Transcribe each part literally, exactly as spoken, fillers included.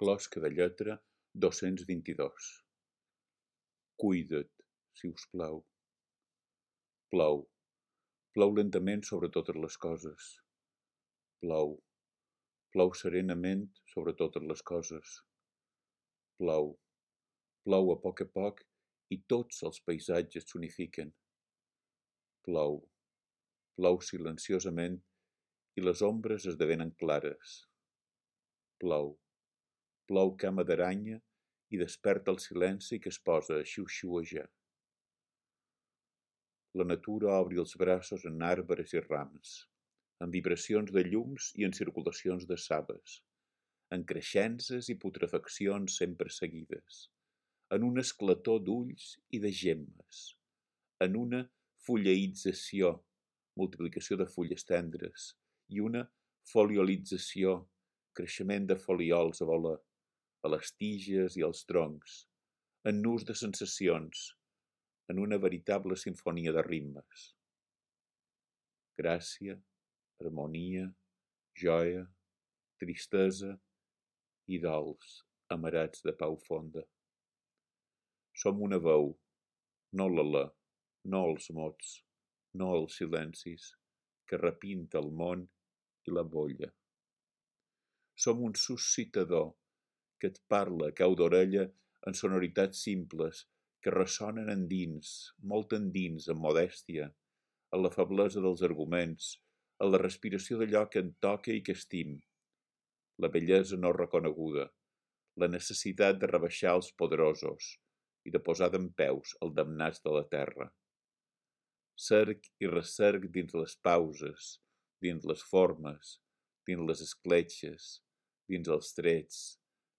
Closca de lletra dos-cents vint-i-dos. Cuida't, si us plau. Plou. Plou lentament sobre totes les coses. Plou. Plou serenament sobre totes les coses. Plou. Plou a poc a poc i tots els paisatges s'unifiquen. Plou. Plou silenciosament i les ombres esdevenen clares. Plou. Plou cama d'aranya i desperta el silenci que es posa a xiu-xiuejar. La natura obri els braços en arbres i rams, en vibracions de llums i en circulacions de saves, en creixences i putrefaccions sempre seguides, en un esclator d'ulls i de gemmes, en una fulleïtzació, multiplicació de fulles tendres, i una foliolització, creixement de folíols a voler, a les tiges i als troncs, en nus de sensacions, en una veritable simfonia de ritmes. Gràcia, harmonia, joia, tristesa i dols amarats de pau fonda. Som una veu, no l'alè, no els mots, no els silencis, que repinta el món i la bolla. Som un suscitador que et parla a cau d'orella en sonoritats simples que ressonen endins, molt endins, amb modèstia, en la feblesa dels arguments, en la respiració d'allò que en toca i que estim, la bellesa no reconeguda, la necessitat de rebaixar els poderosos i de posar dempeus els damnats de la terra. Cerc i recerc dins les pauses, dins les formes, dins les escletxes, dins els trets,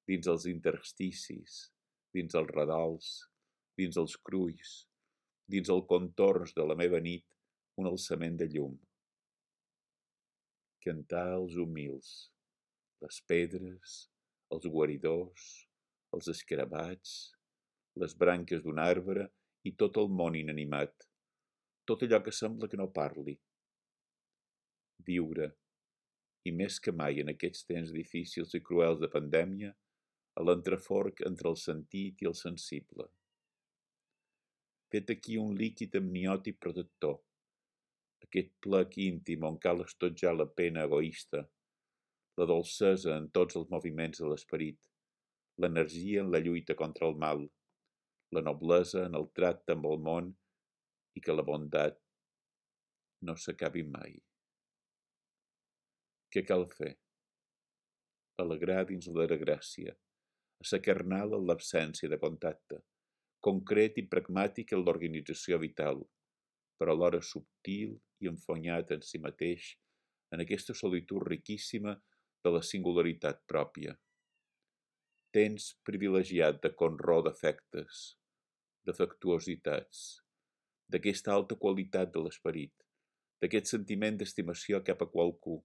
dins els intersticis, dins els redols, dins els crulls, dins els contorns de la meva nit, un alçament de llum. Cantar els humils, les pedres, els guaridors, els escarabats, les branques d'un arbre i tot el món inanimat, tot allò que sembla que no parli. Viure, i més que mai en aquests temps difícils i cruels de pandèmia, a l'entreforc entre el sentit i el sensible. Fet aquí un líquid amniòtic protector, aquest plec íntim on cal estotjar la pena egoista, la dolcesa en tots els moviments de l'esperit, l'energia en la lluita contra el mal, la noblesa en el tracte amb el món i que la bondat no s'acabi mai. Què cal fer? Alegrar dins la gràcia, assacarnal en l'absència de contacte, concret i pragmàtic en l'organització vital, però alhora subtil i enfonyat en si mateix en aquesta solitud riquíssima de la singularitat pròpia. Temps privilegiat de conró d'afectes, d'afectuositats, d'aquesta alta qualitat de l'esperit, d'aquest sentiment d'estimació cap a qualcú,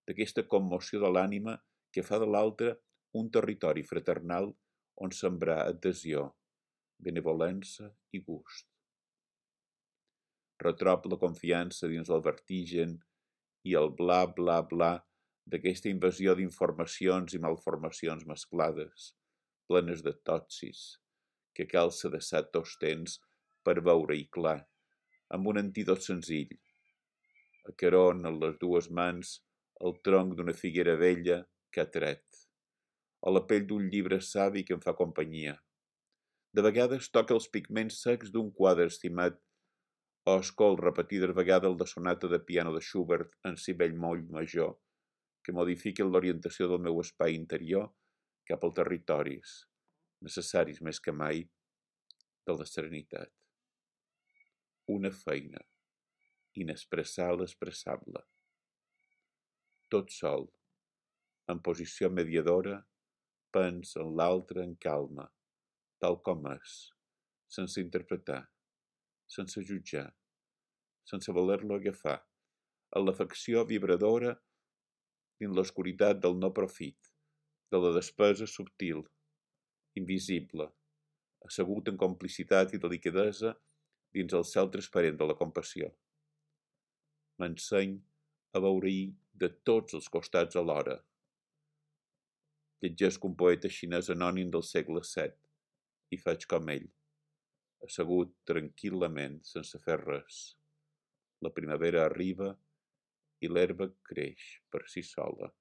d'aquesta commoció de l'ànima que fa de l'altre un territori fraternal on sembrar adhesió, benevolença i gust. Retrop la confiança dins el vertigen i el bla bla bla d'aquesta invasió d'informacions i malformacions mesclades, plenes de totsis, que cal sedessar tots temps per veure-hi clar, amb un antídot senzill. Acaron en les dues mans el tronc d'una figuera vella que ha tret, o la pell d'un llibre savi que em fa companyia. De vegades toca els pigments secs d'un quadre estimat o escol repetides vegades la sonata de piano de Schubert en si bellmoll major, que modifiquen l'orientació del meu espai interior cap als territoris, necessaris més que mai, de la serenitat. Una feina, inexpressar l'expressable. Tot sol, en posició mediadora, pensa en l'altre en calma, tal com és, sense interpretar, sense jutjar, sense voler-lo agafar, en l'afecció vibradora dins l'oscuritat del no profit, de la despesa subtil, invisible, assegut en complicitat i delicadesa dins el cel transparent de la compassió. M'enseny a veure-hi de tots els costats alhora. Llegeixo un poeta xinès anònim del segle set i faig com ell, assegut tranquil·lament, sense fer res. La primavera arriba i l'herba creix per si sola.